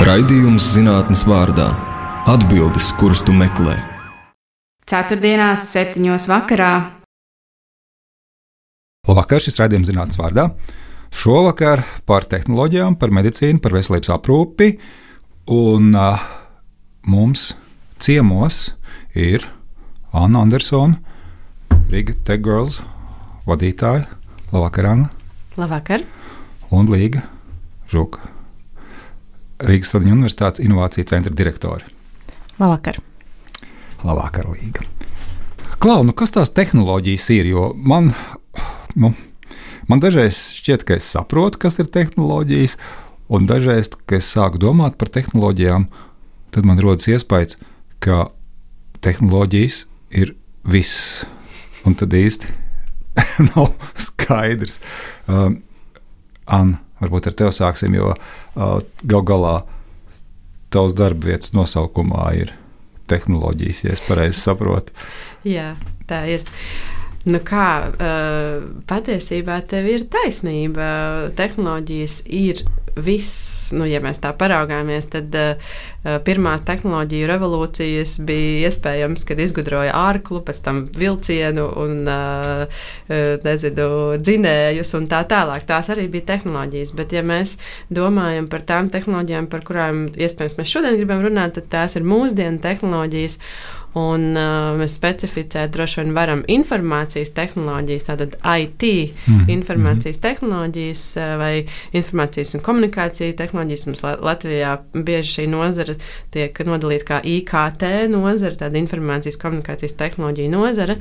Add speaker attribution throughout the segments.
Speaker 1: Raidījums zinātnes vārdā – atbildes, kuras tu meklē.
Speaker 2: Ceturtdienās 7:00 vakarā.
Speaker 3: Labvakar, šis raidījums zinātnes vārdā. Šovakar par tehnoloģijām, par medicīnu, par veselības aprūpi. Un mums ciemos ir Anna Andersone, Riga Tech Girls vadītāja. Labvakar, Anna.
Speaker 2: Labvakar.
Speaker 3: Un Līga Žuka, Rīgas Stradiņu Universitātes Inovāciju centra direktore.
Speaker 2: Labvakar.
Speaker 3: Labvakar, Līga. Klau, kas tās tehnoloģijas ir? Jo man dažreiz šķiet, ka es saprotu, kas ir tehnoloģijas, un dažreiz, kad es sāku domāt par tehnoloģijām, tad man rodas iespējas, ka tehnoloģijas ir viss, un tad īsti nav skaidrs. Anna, varbūt ar tevi sāksim, jo gal galā tavs darba vietas nosaukumā ir tehnoloģijas, ja es pareizi saprotu.
Speaker 4: Jā, tā ir. Patiesībā tev ir taisnība. Tehnoloģijas ir viss. Ja mēs tā paraugāmies, tad pirmās tehnoloģiju revolūcijas bija iespējams, kad izgudroja ārklu, pēc tam vilcienu un dzinējus un tā tālāk. Tās arī bija tehnoloģijas, bet ja mēs domājam par tām tehnoloģijām, par kurām iespējams mēs šodien gribam runāt, tad tās ir mūsdienu tehnoloģijas. Un mēs specificēt droši vien varam informācijas tehnoloģijas, tātad IT, informācijas tehnoloģijas vai informācijas un komunikācija tehnoloģijas. Mums Latvijā bieži šī nozara tiek nodalīta kā IKT nozara, tāda informācijas komunikācijas tehnoloģija nozara.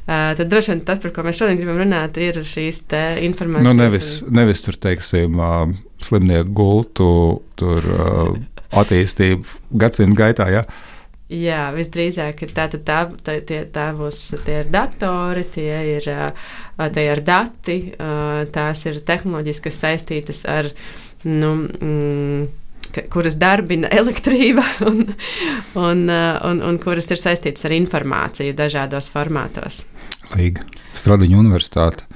Speaker 4: Tad droši vien tas, par ko mēs šodien gribam runāt, ir šīs te informācijas.
Speaker 3: Nevis tur, teiksim, slimnieku gultu, tur attīstību gadsimtu gaitā, ja?
Speaker 4: Jā, visdrīzāk tie ir datori, tie ir dati, tās ir tehnoloģijas, kas saistītas ar, kuras darbina elektrība un kuras ir saistītas ar informāciju dažādos formātos.
Speaker 3: Līga, Stradiņu Universitāte.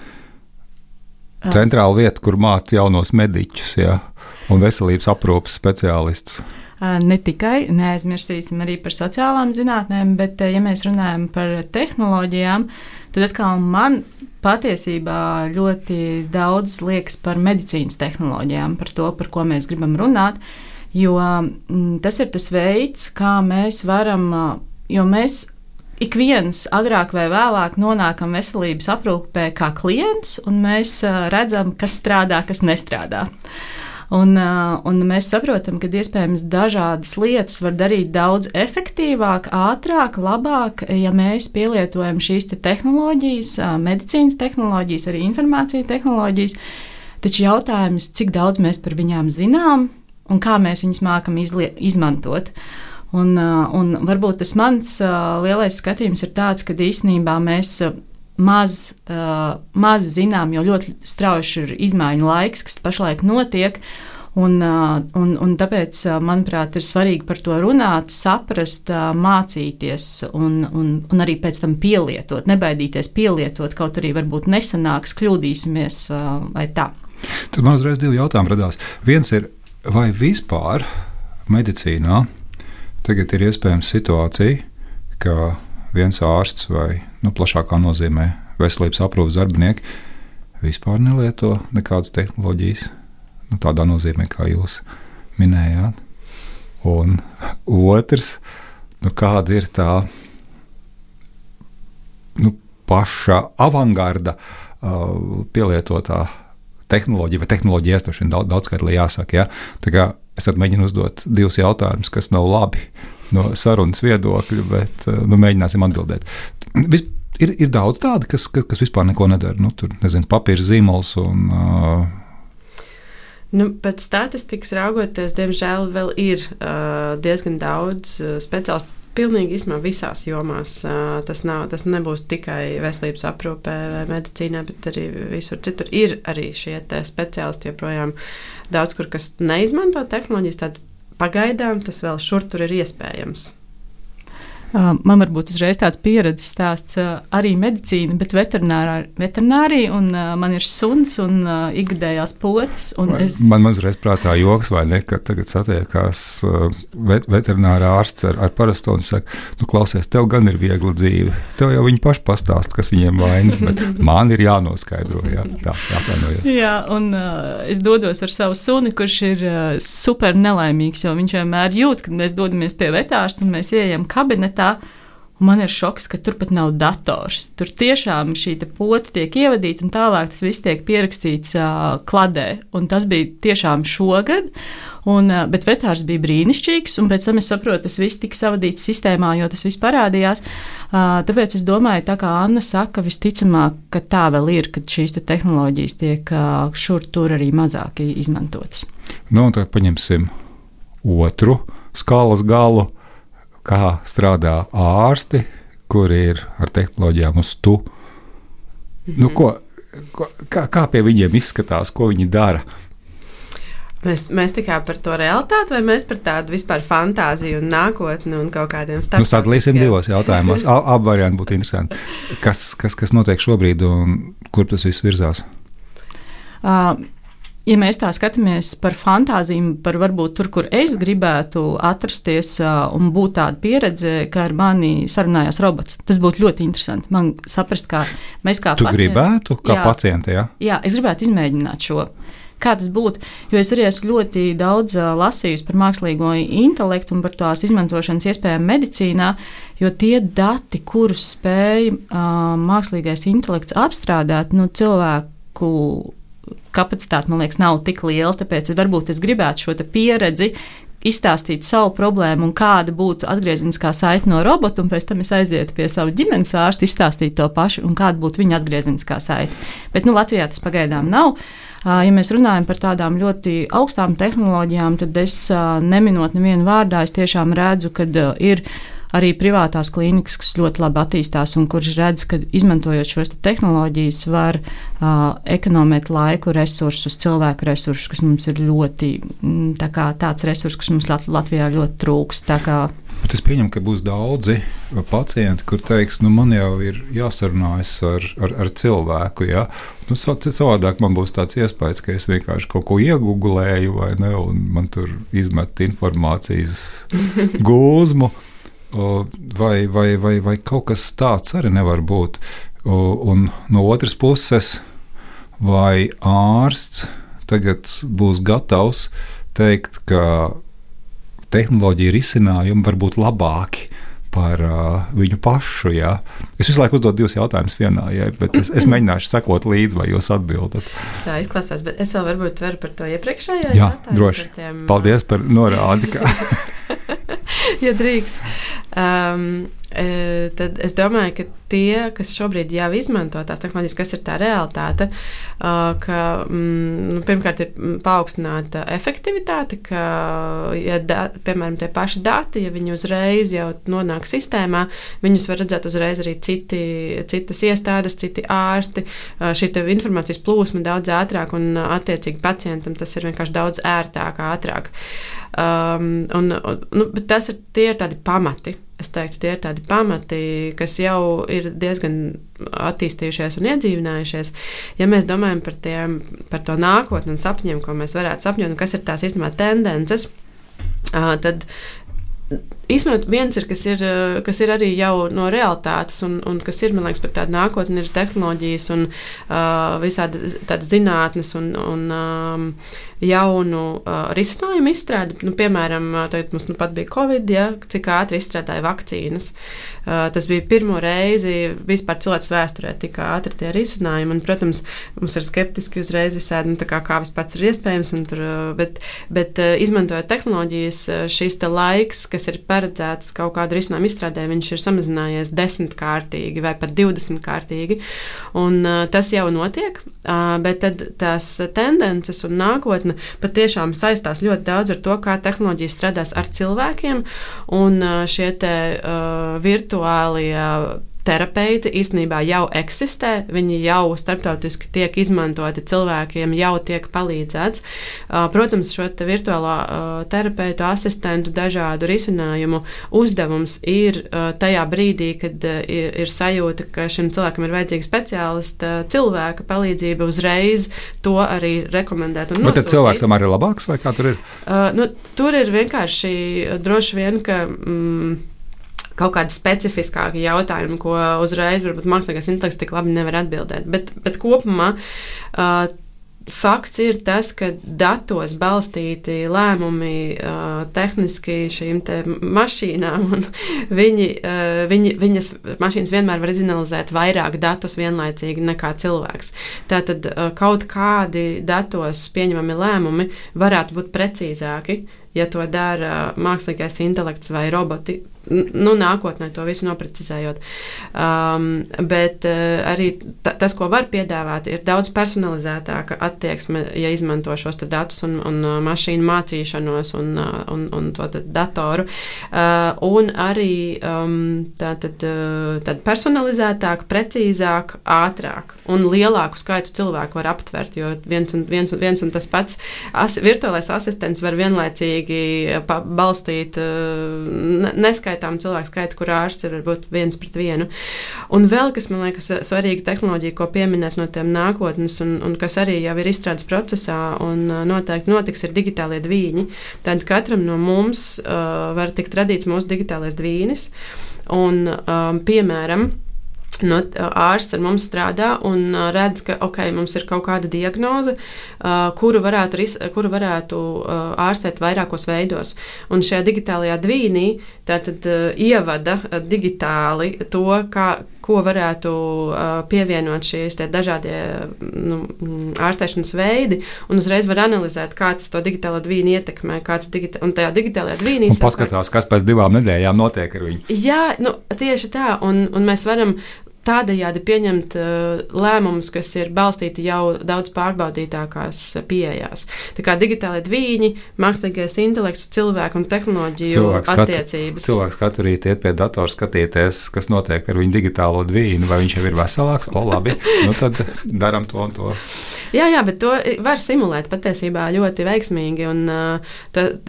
Speaker 3: Centrāla vieta, kur māca jaunos mediķus, ja, un veselības aprūpes speciālistus.
Speaker 5: Ne tikai, neaizmirsīsim arī par sociālām zinātnēm, bet, ja mēs runājam par tehnoloģijām, tad atkal man patiesībā ļoti daudz liekas par medicīnas tehnoloģijām, par to, par ko mēs gribam runāt, jo tas ir tas veids, kā mēs varam, jo mēs ik viens agrāk vai vēlāk nonākam veselības aprūpē kā klients, un mēs redzam, kas strādā, kas nestrādā. Un mēs saprotam, ka iespējams dažādas lietas var darīt daudz efektīvāk, ātrāk, labāk, ja mēs pielietojam šīs tehnoloģijas, medicīnas tehnoloģijas, arī informācijas tehnoloģijas. Taču jautājums, cik daudz mēs par viņām zinām un kā mēs viņas mākam izmantot. Un varbūt tas mans lielais skatījums ir tāds, ka īstenībā mēs maz zinām, jo ļoti strauji ir izmaiņu laiks, kas pašlaik notiek, un tāpēc, manuprāt, ir svarīgi par to runāt, saprast, mācīties un arī pēc tam pielietot, nebaidīties pielietot, kaut arī varbūt nesanāks, kļūdīsimies vai tā.
Speaker 3: Tad man uzreiz divi jautājumi radās. Viens ir, vai vispār medicīnā tagad ir iespējams situācija, ka viens ārsts vai plašākā nozīmē veselības aprūpes darbinieki vispār nelieto nekādas tehnoloģijas, tādā nozīmē, kā jūs minējāt. Un otrs, kāda ir tā paša avangarda pielietotā tehnoloģija, vai tehnoloģija iestošana daudzkārt jāsaka. Ja? Tā kā es mēģinu uzdot divus jautājumus, kas nav labi no sarunas viedokļa, bet mēģināsim atbildēt. Ir daudz tādu, kas vispār neko nedara. Tur, papīra zīmols un...
Speaker 4: Pēc statistikas raugoties, diemžēl vēl ir diezgan daudz speciālistu. Pilnīgi īstenībā visās jomās. Tas nebūs tikai veselības aprūpē vai medicīnā, bet arī visur citur ir arī šie speciālisti joprojām daudz kur, kas neizmanto tehnoloģijas. Tad pagaidām tas vēl šur tur ir iespējams.
Speaker 5: Man varbūt uzreiz tāds pieredzes stāsts arī medicīna, bet veterinārija, un man ir suns un ikgadējās potes.
Speaker 3: Man uzreiz prātā joks, vai ne, ka tagad satiekās veterinārā ārsts ar parasto un saka, klausies, tev gan ir viegla dzīve, tev jau viņi paši pastāst, kas viņiem vainas, bet man ir jānoskaidro, tā, jātainojos. Jā,
Speaker 5: un es dodos ar savu suni, kurš ir super nelaimīgs, jo viņš vienmēr jūt, kad mēs dodamies pie vetārsta un mēs ieejam kabinetā. Man ir šoks, ka tur pat nav dators. Tur tiešām šī pota tiek ievadīta un tālāk tas viss tiek pierakstīts kladē. Un tas bija tiešām šogad, bet vetārs bija brīnišķīgs, un pēc tam es saprotu, tas viss tika savadīts sistēmā, jo tas viss parādījās. Tāpēc es domāju, tā kā Anna saka, visticamāk, ka tā vēl ir, kad šīs tehnoloģijas tiek šur tur arī mazāk izmantotas.
Speaker 3: Un tad paņemsim otru skalas galu. Kā strādā ārsti, kuri ir ar tehnoloģijām uz tu. Kā pie viņiem izskatās, ko viņi dara?
Speaker 4: Mēs tikai par to realitāti, vai mēs par tādu vispār fantāziju un nākotni un kaut kādiem starptautiskiem?
Speaker 3: Sadalīsim divos jautājumos. Abi varianti būtu interesanti. Kas notiek šobrīd un kur tas viss virzās?
Speaker 5: Ja mēs tā skatāmies par fantāziju, par varbūt tur, kur es gribētu atrasties un būt tāda pieredze, ka ar mani sarunājās robots, tas būtu ļoti interesanti. Man saprast, kā mēs kā
Speaker 3: pacienti. Tu gribētu, kā pacienti, jā?
Speaker 5: Jā, es gribētu izmēģināt šo. Kā tas būtu, jo es arī esmu ļoti daudz lasījusi par mākslīgo intelektu un par tās izmantošanas iespējām medicīnā, jo tie dati, kurus spēj mākslīgais intelekts apstrādāt, cilvēku kapacitāte, man liekas, nav tik liela, tāpēc varbūt es gribētu šo pieredzi izstāstīt savu problēmu un kāda būtu atgriezeniskā saite no robota, un pēc tam es aizietu pie savu ģimenes ārstu, izstāstīt to pašu, un kāda būtu viņa atgriezeniskā saite. Bet Latvijā tas pagaidām nav. Ja mēs runājam par tādām ļoti augstām tehnoloģijām, tad es neminot nevienu vārdā, es tiešām redzu, ka ir arī privātās klīnikas, kas ļoti labi attīstās un kurš redz, ka izmantojot šos tehnoloģijas var ekonomēt laiku, resursus, cilvēku resursus, kas mums ir ļoti tāds resurs, kas mums Latvijā ļoti trūks.
Speaker 3: Bet es pieņemu, ka būs daudzi pacienti, kur teiks, man jau ir jāsarunājas ar cilvēku, ja? Savādāk man būs tāds iespējas, ka es vienkārši kaut ko iegūlēju, vai ne, un man tur izmet informācijas gūzmu. Vai kaut kas tāds arī nevar būt. Un no otras puses, vai ārsts tagad būs gatavs teikt, ka tehnoloģija risinājumi var būt labāki par viņu pašu. Jā. Es visu laiku uzdodu divus jautājumus vienā, bet es mēģināšu sekot līdzi, vai jūs atbildat.
Speaker 4: Tā izklausās, bet es vēl varbūt varu par to iepriekšējā
Speaker 3: jautājumu. Jā, droši. Paldies par norādi.
Speaker 4: Ja drīkst. Tad es domāju, ka tie, kas šobrīd jau izmanto tās tehnoloģijas, kas ir tā realitāte, ka pirmkārt ir paaugstināta efektivitāte, ka, piemēram, tie paši dati, ja viņi uzreiz jau nonāk sistēmā, viņus var redzēt uzreiz arī citas iestādes, citi ārsti, šī informācijas plūsma daudz ātrāk un attiecīgi pacientam tas ir vienkārši daudz ērtāk, ātrāk. Bet tie ir tādi pamati. Es teiktu, tie ir tādi pamati, kas jau ir diezgan attīstījušies un iedzīvinājušies. Ja mēs domājam par to nākotni un sapņiem, ko mēs varētu sapņot, un kas ir tās īstenībā tendences, tad īstenībā viens ir, kas ir arī jau no realitātes un kas ir, man liekas, par tādu nākotni, ir tehnoloģijas un visādi tādas zinātnes un jaunu risinājumu izstrādi. Piemēram, tagad mums pat bija Covid, cik ātri izstrādāja vakcīnas. Tas bija pirmo reizi vispār cilvēks vēsturē tik ātri tie risinājumi. Un, protams, mums ir skeptiski uzreiz visādi, kā vispār ir iespējams. Bet izmantojot tehnoloģijas, šis laiks, kas ir paredzēts kaut kādu risinājumu izstrādē, viņš ir samazinājies 10-kārtīgi vai pat 20-kārtīgi. Un tas jau notiek, bet tad tās tendences un nākotne patiešām saistās ļoti daudz ar to, kā tehnoloģijas strādās ar cilvēkiem, un šie virtuālie terapeiti īstenībā jau eksistē, viņi jau starptautiski tiek izmantoti, cilvēkiem jau tiek palīdzēts. Protams, šo virtuālā terapeitu, asistentu, dažādu risinājumu uzdevums ir tajā brīdī, kad ir sajūta, ka šim cilvēkam ir vajadzīga speciālista cilvēka palīdzība uzreiz, to arī rekomendēt un nosūtīt.
Speaker 3: Bet tad cilvēks tam arī ir labāks, vai kā tur ir?
Speaker 4: Tur ir vienkārši droši vien, ka kaut kādi specifiskāki jautājumi, ko uzreiz varbūt mākslīgais intelekts tik labi nevar atbildēt. Bet kopumā fakts ir tas, ka datos balstīti lēmumi tehniski šīm te mašīnām, un viņas mašīnas vienmēr var izanalizēt vairāk datus vienlaicīgi nekā cilvēks. Tātad kaut kādi datos pieņemami lēmumi varētu būt precīzāki, ja to dara mākslīgais intelekts vai roboti, nākotnē to visu noprecizējot. Bet arī tas, ko var piedāvāt, ir daudz personalizētāka attieksme, ja izmanto šos datus un mašīnu mācīšanos un to datoru. Un arī tad personalizētāk, precīzāk, ātrāk un lielāku skaitu cilvēku var aptvert, jo viens un tas pats virtuālais asistents var vienlaicīgi balstīt neskaitām cilvēku skaitu, kur ārsts ir varbūt 1:1. Un vēl, kas man liekas svarīga tehnoloģija, ko pieminēt no tiem nākotnes un kas arī jau ir izstrādes procesā un noteikti notiks, ir digitālie dvīņi. Tad katram no mums var tikt radīts mūsu digitālais dvīnis un, piemēram, ārsts ar mums strādā un redz, ka mums ir kaut kāda diagnoze, kuru varētu ārstēt vairākos veidos. Un šajā digitālajā dvīnī tātad ievada digitāli to, ko varētu pievienot šīs dažādie ārstēšanas veidi, un uzreiz var analizēt, kā tas to digitālo dvīni ietekmē, un tajā digitālajā dvīnī...
Speaker 3: Un paskatās, kas pēc 2 nedēļām notiek ar viņu.
Speaker 4: Jā, tieši tā, un mēs varam tādējādi pieņemt lēmumus, kas ir balstīti jau daudz pārbaudītākās pieejās. Tā kā digitālie dvīņi, mākslīgais intelekts, cilvēku un tehnoloģiju attiecības.
Speaker 3: Cilvēks katru rītu iet pie datora skatīties, kas notiek ar viņu digitālo dvīnu, vai viņš jau ir veselāks, labi, tad daram to un to.
Speaker 4: Jā, bet to var simulēt patiesībā ļoti veiksmīgi, un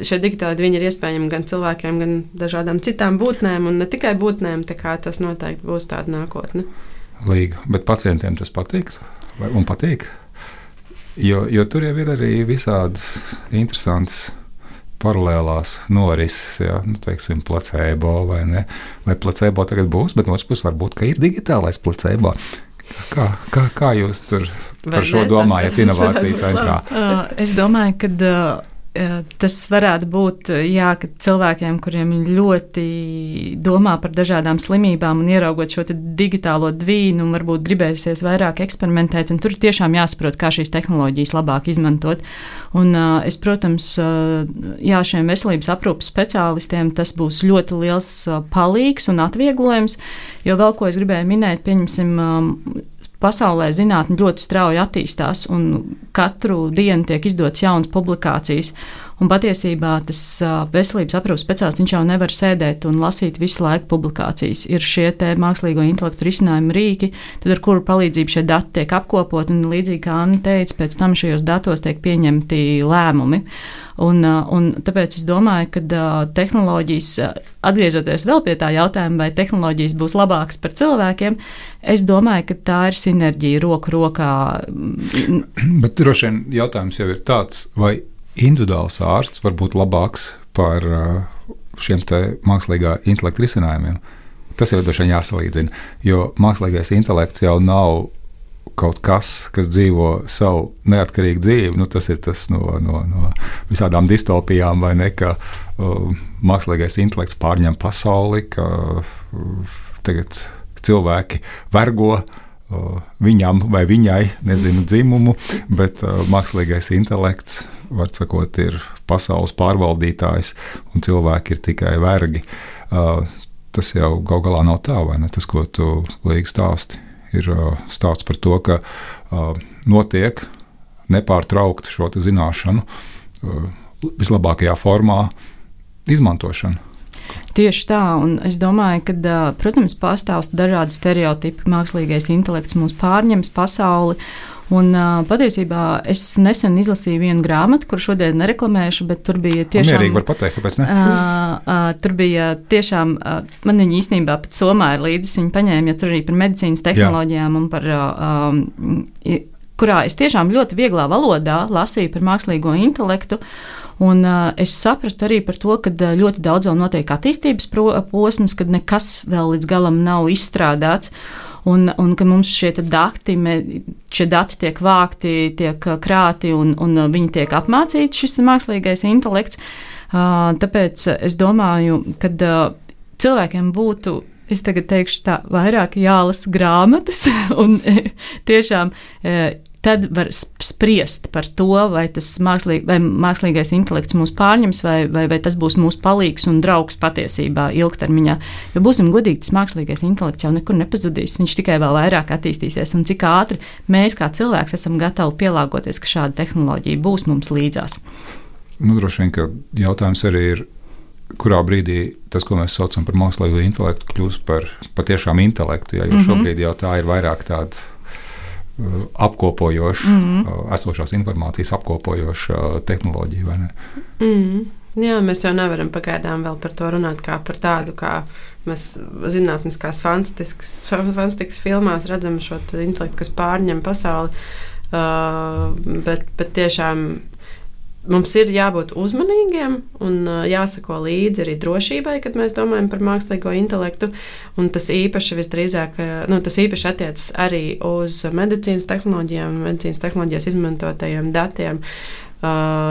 Speaker 4: šie digitāli dviņi ir iespējami gan cilvēkiem, gan dažādām citām būtnēm, un ne tikai būtnēm, tā kā tas noteikti būs tāda nākotne.
Speaker 3: Līga, bet pacientiem tas patīk, un patīk, jo tur jau ir arī visādas interesantas paralēlās norises, teiksim, placebo vai ne, vai placebo tagad būs, bet no otras puses varbūt, ka ir digitālais placebo. Kā jūs tur par šo domājat inovāciju centrā?
Speaker 5: Es domāju, ka tas varētu būt, ka cilvēkiem, kuriem ļoti domā par dažādām slimībām un ieraugot šo digitālo dvīnu, varbūt gribēsies vairāk eksperimentēt, un tur tiešām jāsaprot, kā šīs tehnoloģijas labāk izmantot. Un es, protams, šiem veselības aprūpes speciālistiem tas būs ļoti liels palīgs un atvieglojums, jo vēl ko es gribēju minēt, pieņemsim, pasaulē zinātne ļoti strauji attīstās, un katru dienu tiek izdotas jaunas publikācijas. Un patiesībā tas veselības aprūpes speciālists, viņš jau nevar sēdēt un lasīt visu laiku publikācijas. Ir šie te mākslīgo intelektu risinājumu rīki, tad ar kuru palīdzību šie dati tiek apkopot, un līdzīgi kā Anna teica, pēc tam šajos datos tiek pieņemti lēmumi. Un tāpēc es domāju, ka tehnoloģijas, atgriežoties vēl pie tā jautājuma, vai tehnoloģijas būs labākas par cilvēkiem, es domāju, ka tā ir sinerģija roku rokā.
Speaker 3: Bet droši vien jautājums jau ir tāds, vai individuāls ārsts var būt labāks par šiem te mākslīgā intelekta risinājumiem. Tas jau droši vien jāsalīdzina, jo mākslīgais intelekts jau nav kaut kas dzīvo savu neatkarīgu dzīvi. Tas ir tas no visādām distopijām, vai ne, ka mākslīgais intelekts pārņem pasauli, ka tagad cilvēki vergo viņam vai viņai, nezinu, dzimumu, bet mākslīgais intelekts, var sakot, ir pasaules pārvaldītājs, un cilvēki ir tikai vergi. Tas jau gal galā nav tā, vai ne? Tas, ko tu Līga stāsti, ir stāsts par to, ka notiek nepārtraukti šo zināšanu vislabākajā formā izmantošana.
Speaker 5: Tieši tā, un es domāju, ka, protams, pastāv dažādi stereotipi, mākslīgais intelekts mūs pārņems pasauli. Un patiesībā es nesen izlasīju vienu grāmatu, kur šodien nereklamēšu, bet tur bija tiešām...
Speaker 3: Mierīgi var pateikt, kāpēc ne?
Speaker 5: Tur bija tiešām, man viņa īstenībā pat somā ir līdzis, viņa paņēma, ja tur arī par medicīnas tehnoloģijām un par, kurā es tiešām ļoti vieglā valodā lasīju par mākslīgo intelektu. Un es sapratu arī par to, ka ļoti daudz vēl notiek attīstības posms, kad nekas vēl līdz galam nav izstrādāts. Un ka mums šie dati tiek vākti, tiek krāti un viņi tiek apmācīti, šis mākslīgais intelekts. Tāpēc es domāju, ka cilvēkiem būtu, es tagad teikšu tā, vairāk jālasa grāmatas un tiešām tad var spriest par to, vai tas mākslīgais intelekts mūs pārņems, vai tas būs mūsu palīgs un draugs patiesībā ilgtermiņā. Jo būsim godīgi, tas mākslīgais intelekts jau nekur nepazudīs, viņš tikai vēl vairāk attīstīsies, un cik ātri mēs kā cilvēks esam gatavi pielāgoties, ka šāda tehnoloģija būs mums līdzās.
Speaker 3: Droši vien, ka jautājums arī ir, kurā brīdī tas, ko mēs saucam par mākslīgo intelektu, kļūst par patiešām intelektu, jo šobrīd jau tā ir vairāk tāda apkopojoša, esošās informācijas apkopojoša tehnoloģija, vai ne?
Speaker 4: Jā, mēs jau nevaram pagaidām vēl par to runāt kā par tādu, kā mēs zinātniskās fantastikas filmās redzam šo intelektu, kas pārņem pasauli, bet tiešām mums ir jābūt uzmanīgiem un jāsako līdzi arī drošībai, kad mēs domājam par mākslīgo intelektu. Un tas īpaši visdrīzāk, tas īpaši attiecas arī uz medicīnas tehnoloģijām, medicīnas tehnoloģijas izmantotajiem datiem,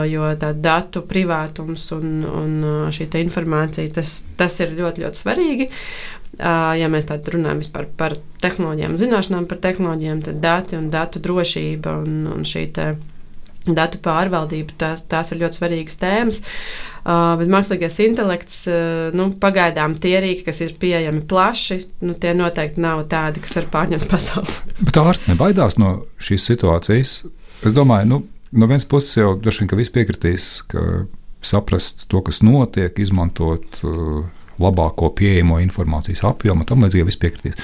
Speaker 4: jo tā datu privātums un šī informācija, tas ir ļoti, ļoti svarīgi. Ja mēs tādu runājam vispār par tehnoloģijām, zināšanām par tehnoloģijām, tad dati un datu drošība un šī datu pārvaldība, tās ir ļoti svarīgas tēmas, bet mākslīgais intelekts, pagaidām tie rīki, kas ir pieejami plaši, tie noteikti nav tādi, kas var pārņemt pasauli.
Speaker 3: Bet ārsti nebaidās no šīs situācijas? Es domāju, no vienas puses jau droši vien, ka visi piekritīs, ka saprast to, kas notiek, izmantot labāko pieejamo informācijas apjomu, tam līdzīgi visi piekritīs.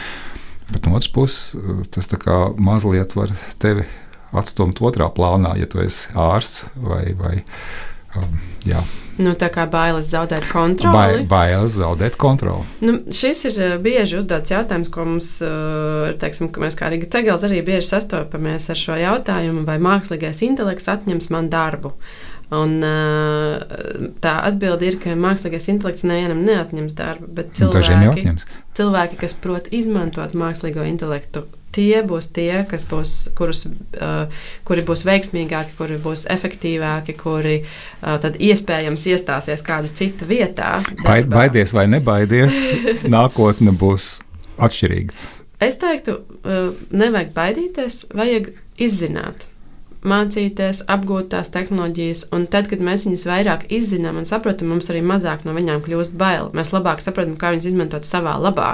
Speaker 3: Bet no otras puses, tas tā kā mazliet var tevi atstumt otrā plānā, ja tu esi ārsts vai jā.
Speaker 4: Tā kā bailes zaudēt kontroli.
Speaker 3: Bailes zaudēt kontroli.
Speaker 4: Šis ir bieži uzdots jautājums, ko mums, teiksim, ka mēs kā Riga Cegels arī bieži sastopamies ar šo jautājumu, vai mākslīgais intelekts atņems man darbu. Un tā atbilde ir, ka mākslīgais intelekts nevienam neatņems darbu, bet cilvēki, kas prot izmantot mākslīgo intelektu, tie būs tie, kuri būs veiksmīgāki, kuri būs efektīvāki, kuri tad iespējams iestāsies kādu citu vietā.
Speaker 3: Baidies vai nebaidies, nākotne būs atšķirīga.
Speaker 4: Es teiktu, nevajag baidīties, vajag izzināt. Mācīties, apgūt tās tehnoloģijas, un tad, kad mēs viņus vairāk izzinām un saprotam, mums arī mazāk no viņām kļūst bail. Mēs labāk saprotam, kā viņas izmantot savā labā,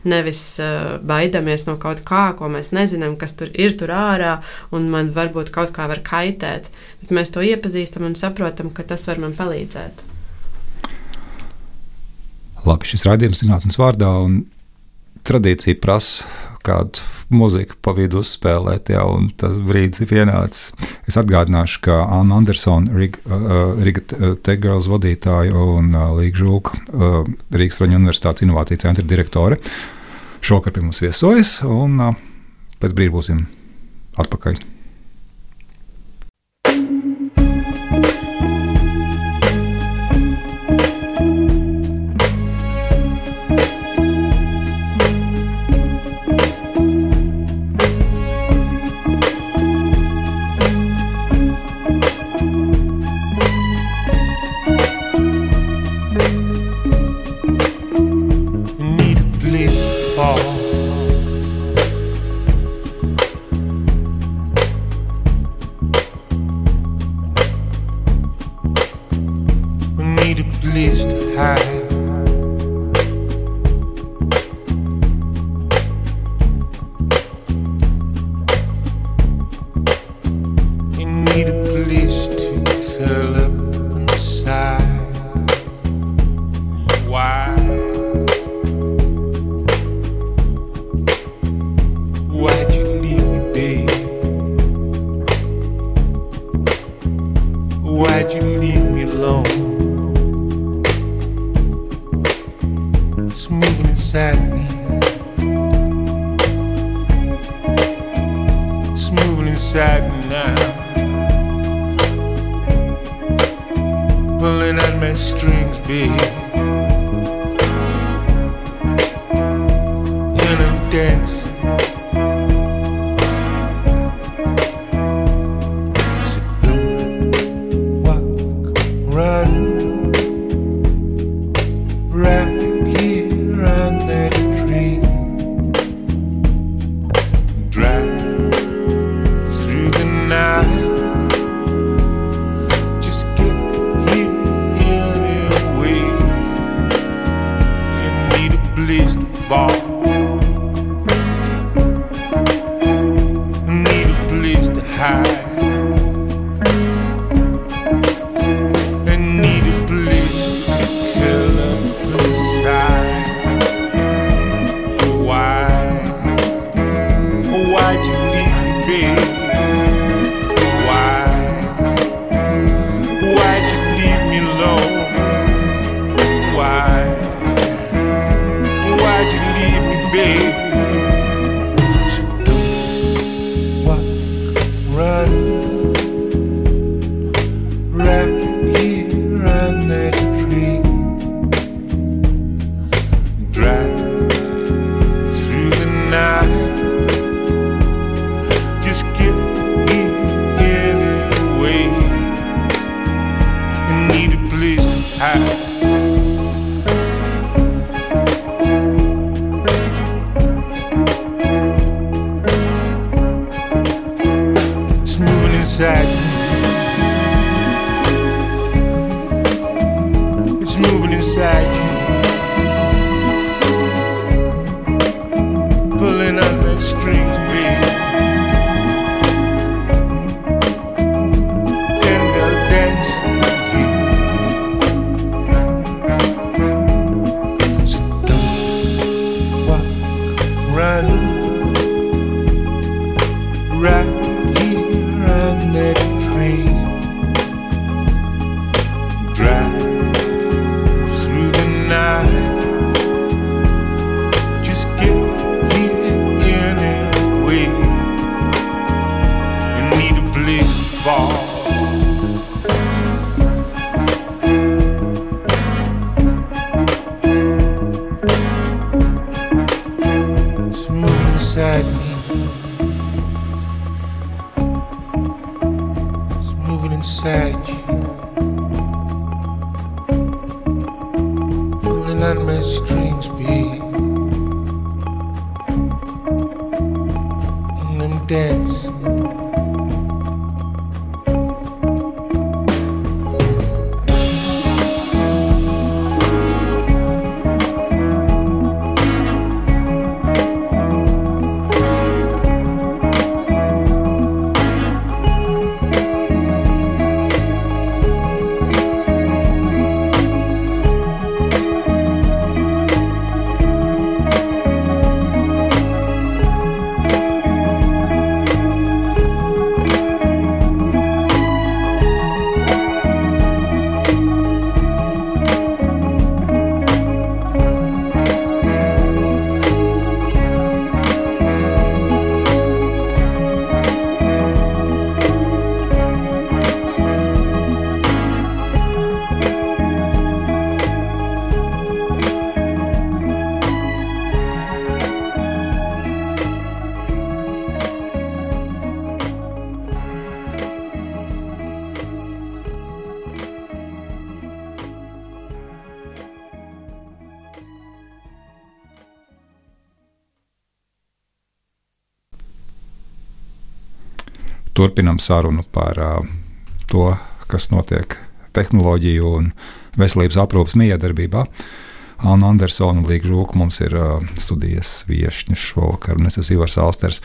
Speaker 4: nevis baidamies no kaut kā, ko mēs nezinām, kas tur ārā, un man varbūt kaut kā var kaitēt. Bet mēs to iepazīstam un saprotam, ka tas var man palīdzēt.
Speaker 3: Labi, šis raidījums zinātnes vārdā, un tradīcija prasa kādu mūziku pa vidu uzspēlēt, un tas brīdis ir pienācis. Es atgādināšu, ka Anna Andersona, Riga Cegels vadītāja un Līga Žulka, Rīgas Traņu Universitātes inovāciju centra direktore, šokar pie mums viesojas, un pēc brīdi būsim atpakaļ.
Speaker 6: Why? alone. It's moving inside me. It's moving inside me now. Pulling at my strings, babe. And I'm dancing. So don't walk, run. Right here under the tree. Drive through the night. Just get here anyway. You need a place to fall. You need a place to hide. I need a place to curl up inside. Why'd you leave me, babe? Why'd you leave me alone? Why'd you leave me, babe? So don't walk, run. Right here under the tree. Drive through the night. Just get here anyway. You need a place to hide. It's moving inside me. It's moving inside you. Pulling on the strings, babe. And I'll dance with you. So don't walk, run. Right here under the tree. Drive through the night. Just get here anyway. You need a place to fall. It's moving inside me. It's moving inside you. Pulling on my strings, babe. And I'm dancing.
Speaker 3: Turpinam sarunu par to, kas notiek tehnoloģiju un veselības aprūpes miedarbībā. Anna Andersona un Līga Žūka mums ir studijas viešņi šovakar, un es esmu Ivars Alsters.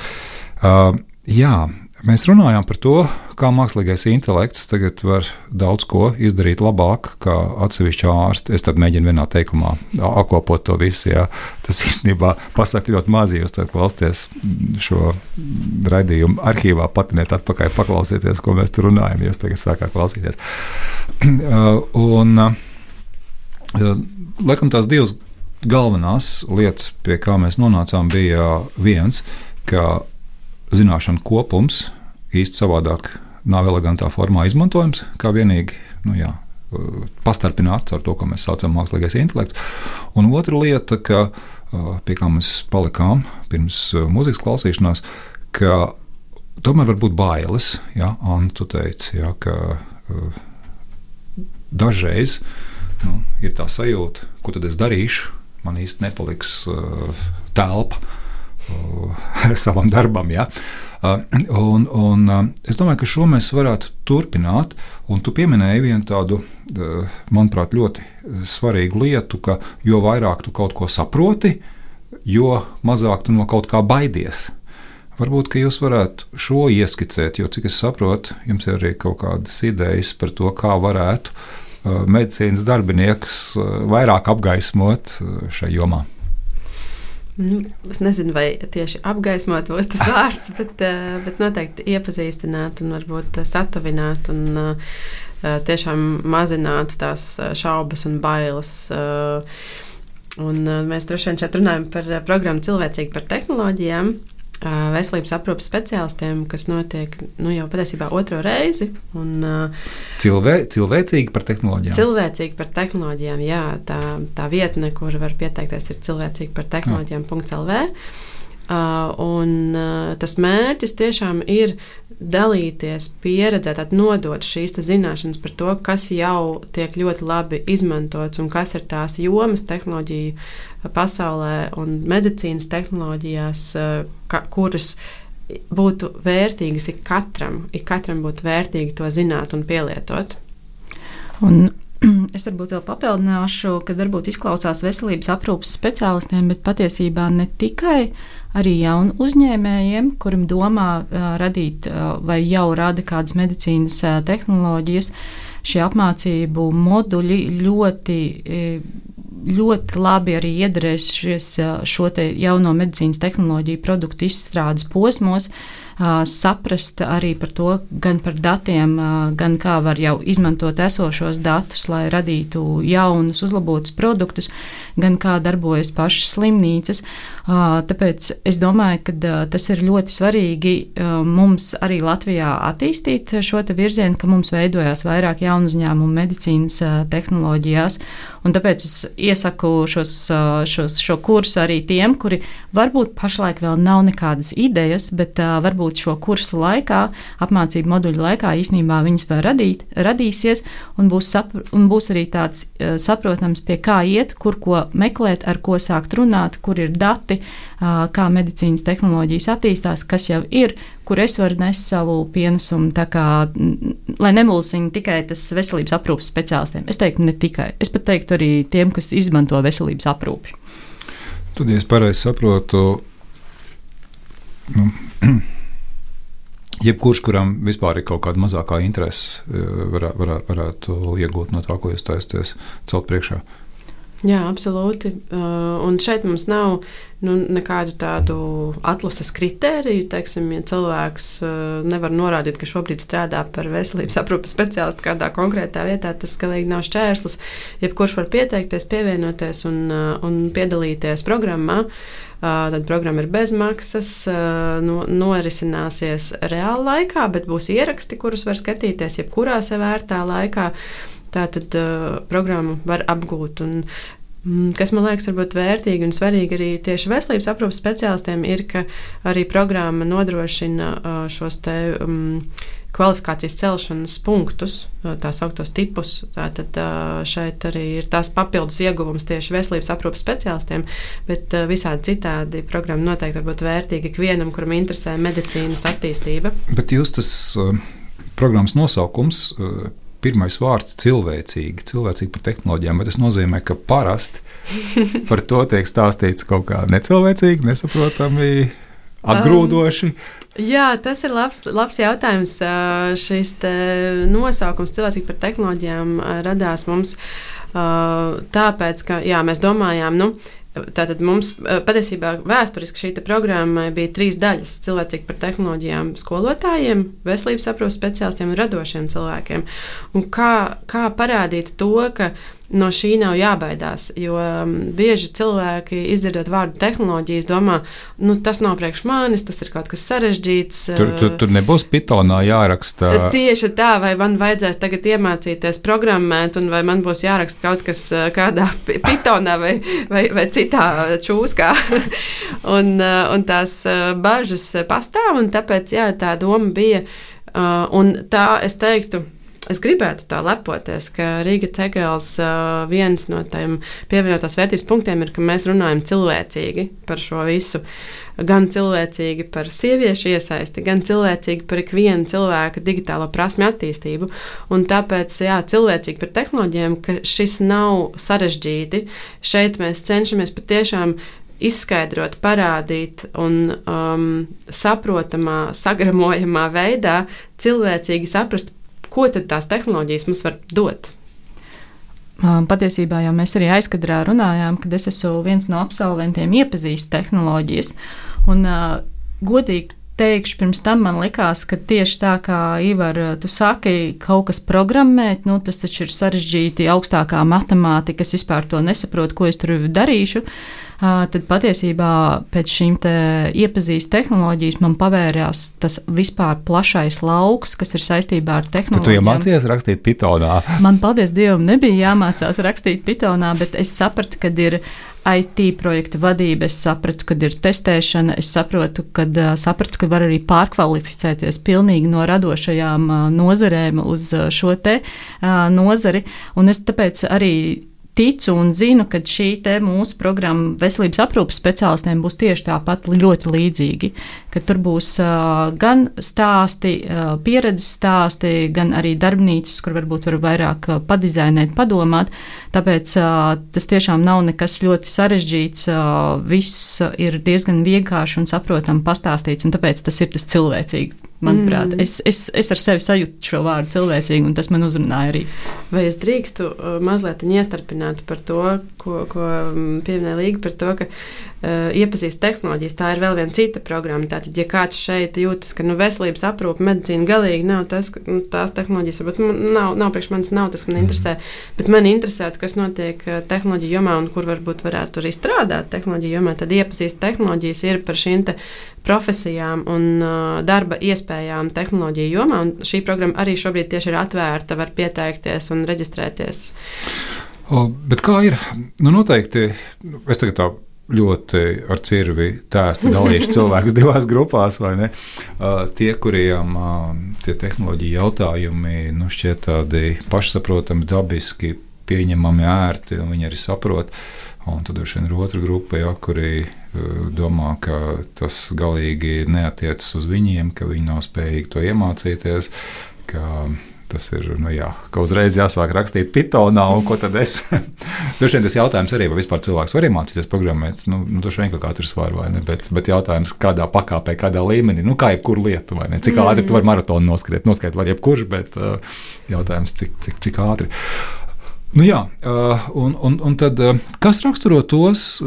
Speaker 3: Jā, Mēs runājām par to, kā mākslīgais intelekts tagad var daudz ko izdarīt labāk, kā atsevišķi ārsti. Es tad mēģinu vienā teikumā apkopot to visu. Jā. Tas īstenībā pasaka ļoti maz, jūs tad klausieties šo raidījumu arhīvā, patiniet atpakaļ, paklausieties, ko mēs tur runājam, jūs tagad sākāt klausīties. Laikam tās divas galvenās lietas, pie kā mēs nonācām, bija viens, ka zināšanu kopums īsti savādāk nav elegantā formā izmantojams, kā vienīgi pastarpināts ar to, ko mēs saucam mākslīgais intelekts. Un otra lieta, pie kā mēs palikām pirms mūzikas klausīšanās, ka tomēr var būt bailes. Ja? Anna, tu teici, ja, ka dažreiz ir tā sajūta, ko tad es darīšu, man īsti nepaliks telpa savam darbam. Ja? Es domāju, ka šo mēs varētu turpināt. Un tu pieminēji vienu tādu, manuprāt, ļoti svarīgu lietu, ka jo vairāk tu kaut ko saproti, jo mazāk tu no kaut kā baidies. Varbūt, ka jūs varētu šo ieskicēt, jo, cik es saprotu, jums ir arī kaut kādas idejas par to, kā varētu medicīnas darbiniekus vairāk apgaismot šai jomā.
Speaker 4: Es nezinu, vai tieši apgaismot būs tas vārds, bet noteikti iepazīstināt un varbūt satuvināt un tiešām mazināt tās šaubas un bailes. Un mēs droši vien šeit runājam par programmu Cilvēcīgi par tehnoloģijām, veselības aprūpes speciālistiem, kas notiek jau patiesībā 2. reizi. Un,
Speaker 3: cilvēcīgi par tehnoloģijām?
Speaker 4: Cilvēcīgi par tehnoloģijām, jā. Tā vietne, kur var pieteikties, ir cilvēcīgi par tehnoloģijām.lv. Un tas mērķis tiešām ir dalīties pieredzē, nodot šīs zināšanas par to, kas jau tiek ļoti labi izmantots un kas ir tās jomas tehnoloģiju pasaulē un medicīnas tehnoloģijās, kuras būtu vērtīgas ik katram būtu vērtīgi to zināt un pielietot.
Speaker 5: Un es varbūt vēl papildināšu, ka varbūt izklausās veselības aprūpes speciālistiem, bet patiesībā ne tikai arī jaunu uzņēmējiem, kuriem domā radīt vai jau rada kādas medicīnas tehnoloģijas. Šie apmācību moduļi ļoti labi arī iedarēs šo te jauno medicīnas tehnoloģiju produktu izstrādes posmos, saprast arī par to, gan par datiem, gan kā var jau izmantot esošos datus, lai radītu jaunus, uzlabotus produktus, gan kā darbojas pašas slimnīcas. Tāpēc es domāju, ka tas ir ļoti svarīgi mums arī Latvijā attīstīt šo te virzienu, ka mums veidojās vairāk jaunu uzņēmumu medicīnas tehnoloģijās. Un tāpēc es iesaku šo kursu arī tiem, kuri varbūt pašlaik vēl nav nekādas idejas, bet varbūt šo kursu laikā, apmācību moduļu laikā īstenībā viņas vēl radīsies un būs arī tāds saprotams, pie kā iet, kur ko meklēt, ar ko sākt runāt, kur ir dati, kā medicīnas tehnoloģijas attīstās, kas jau ir, kur es varu nest savu pienesumu, tā kā, lai nemulsina tikai tas veselības aprūpes speciālistiem. Es teiktu ne tikai, es pat teiktu arī tiem, kas izmanto veselības aprūpi.
Speaker 3: Tad, ja es pareizi saprotu, jebkurš, kuram vispār ir kaut kāda mazākā interese, varētu iegūt no tā, ko jūs taisties celt priekšā.
Speaker 4: Jā, absolūti. Un šeit mums nav nekādu tādu atlases kritēriju. Teiksim, ja cilvēks nevar norādīt, ka šobrīd strādā par veselības aprūpes speciālistu kādā konkrētā vietā, tas galīgi nav šķērslis. Jebkurš var pieteikties, pievienoties un piedalīties programmā. Tad programma ir bezmaksas, norisināsies reāla laikā, bet būs ieraksti, kurus var skatīties jebkurā sev vērtā laikā. Tātad programmu var apgūt. Un, kas man liekas varbūt vērtīgi un svarīgi arī tieši veselības aprūpes speciālistiem ir, ka arī programma nodrošina šos te kvalifikācijas celšanas punktus, tā sauktos tipus. Tātad šeit arī ir tās papildus ieguvums tieši veselības aprūpes speciālistiem, bet visādi citādi programma noteikti var būt vērtīga ikvienam, kuram interesē medicīnas attīstība.
Speaker 3: Bet jūs tas programmas nosaukums, pirmais vārds cilvēcīgi par tehnoloģijām, bet tas nozīmē, ka parasti par to tiek stāstīts kaut kā necilvēcīgi, nesaprotami, atgrūdoši?
Speaker 4: Jā, tas ir labs jautājums. Šis nosaukums cilvēcīgi par tehnoloģijām radās mums tāpēc, ka mēs domājām, tātad mums patiesībā vēsturiski šī programma bija 3 daļas - cilvēcīgi par tehnoloģijām skolotājiem, veselības aprūpes speciālistiem un radošiem cilvēkiem. Un kā parādīt to, ka no šī nav jābaidās, jo bieži cilvēki, izdzirdot vārdu tehnoloģijas, domā, tas nav priekš manis, tas ir kaut kas sarežģīts.
Speaker 3: Tur nebūs Pythonā jāraksta.
Speaker 4: Tieši tā, vai man vajadzēs tagad iemācīties programmēt, un vai man būs jāraksta kaut kas kādā Pythonā vai citā čūskā. un tās bažas pastāv, un tāpēc, tā doma bija, un tā es teiktu, es gribētu tā lepoties, ka Riga Tegels viens no tiem pievienotās vērtības punktiem ir, ka mēs runājam cilvēcīgi par šo visu. Gan cilvēcīgi par sieviešu iesaisti, gan cilvēcīgi par ikvienu cilvēka digitālo prasmi attīstību. Un tāpēc, cilvēcīgi par tehnoloģijām, ka šis nav sarežģīti. Šeit mēs cenšamies patiešām izskaidrot, parādīt un saprotamā, sagramojamā veidā cilvēcīgi saprast, ko tad tās tehnoloģijas mums var dot?
Speaker 5: Patiesībā jau mēs arī aizkadrā runājām, kad es esmu viens no absolventiem iepazīst tehnoloģijas. Un godīgi teikšu, pirms tam man likās, ka tieši tā kā Ivar, tu saki, kaut kas programmēt, tas taču ir sarežģīti, augstākā matemātika, es vispār to nesaprotu, ko es tur darīšu. Tad patiesībā pēc šīm iepazīst tehnoloģijas man pavērās tas vispār plašais lauks, kas ir saistībā ar tehnoloģijām.
Speaker 3: Tad tu iemācījies rakstīt Pythonā?
Speaker 5: Man, paldies Dievam, nebija jāmācās rakstīt Pythonā, bet es sapratu, kad ir IT projektu vadība, es sapratu, kad ir testēšana, es sapratu, ka var arī pārkvalificēties pilnīgi no radošajām nozarēm uz šo nozari, un es tāpēc arī ticu un zinu, ka šī mūsu programma veselības aprūpes speciālistiem būs tieši tāpat ļoti līdzīgi, ka tur būs gan stāsti, pieredzes stāsti, gan arī darbnīcas, kur varbūt var vairāk padizainēt, padomāt, tāpēc tas tiešām nav nekas ļoti sarežģīts, viss ir diezgan vienkārši un saprotam pastāstīts, un tāpēc tas ir tas cilvēcīgi. Manuprāt, es ar sevi sajūtu šo vārdu cilvēcīgi, un tas man uzrunāja arī.
Speaker 4: Vai es drīkstu mazliet iestarpināt par to, ko pieminēja Līga, par to, ka iepazīst tehnoloģijas, tā ir vēl viena cita programma. Tātad, ja kāds šeit jūtas, ka veselības aprūpe, medicīna galīgi nav tas, tās tehnoloģijas, varbūt nav priekš manis, nav tas, man interesē, bet man interesētu, kas notiek tehnoloģiju jomā un kur varbūt varētu arī strādāt tehnoloģiju jomā, tad iepazīst tehnoloģijas ir par šīm profesijām un darba iespējām tehnoloģiju jomā, un šī programma arī šobrīd tieši ir atvērta, var pieteikties un reģistrēties.
Speaker 3: Bet kā ir? Noteikti, es tagad tā ļoti ar cirvi tēsti dalīšu cilvēkus divās grupās, vai ne? Tie, kuriem tie tehnoloģija jautājumi šķiet tādi pašsaprotami, dabiski, pieņemami, ērti, un viņi arī saprot. Un tad ir otra grupa, kuri domā, ka tas galīgi neatiecas uz viņiem, ka viņi nav spējīgi to iemācīties, ka tas ir, ka uzreiz jāsāk rakstīt Pythonā, un ko tad es? Droši vien tas jautājums arī, vai vispār cilvēks var iemācīties programmēt, droši vien, ka katrs var, vai ne, bet jautājums, kādā pakāpē, kādā līmenī, kā jebkuru lietu, vai ne, cik ātri tu vari maratonu noskriet var jebkurš, bet jautājums, cik ātri. Un tad, kas raksturo tos,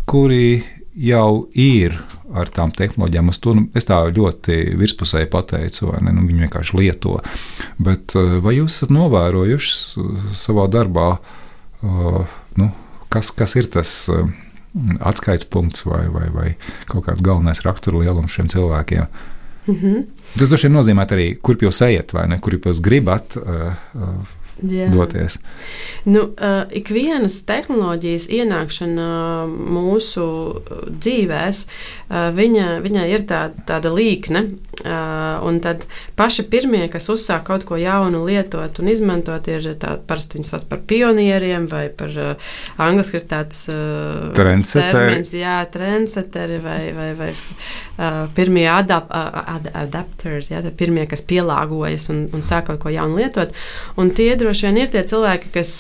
Speaker 3: kuri jau ir ar tām tehnoloģijām, es tā ļoti virspusēji pateicu, vai ne, viņi vienkārši lieto, bet vai jūs esat novērojuši savā darbā, kas ir tas atskaites punkts vai kaut kāds galvenais rakstura lielums šiem cilvēkiem? Tas droši vien nozīmē arī, kurp jūs ejat, vai ne, kurp jūs gribat doties.
Speaker 4: Ikvienas tehnoloģijas ienākšana mūsu dzīvēs, viņai ir tāda līkne, un tad paši pirmie, kas uzsāk kaut ko jaunu lietot un izmantot, ir parasti viņi sauc par pionieriem vai par angliski ir tāds termins, trendseteri vai pirmie adapters, pirmie, kas pielāgojas un sāk kaut ko jaunu lietot, un tie droši vien ir tie cilvēki, kas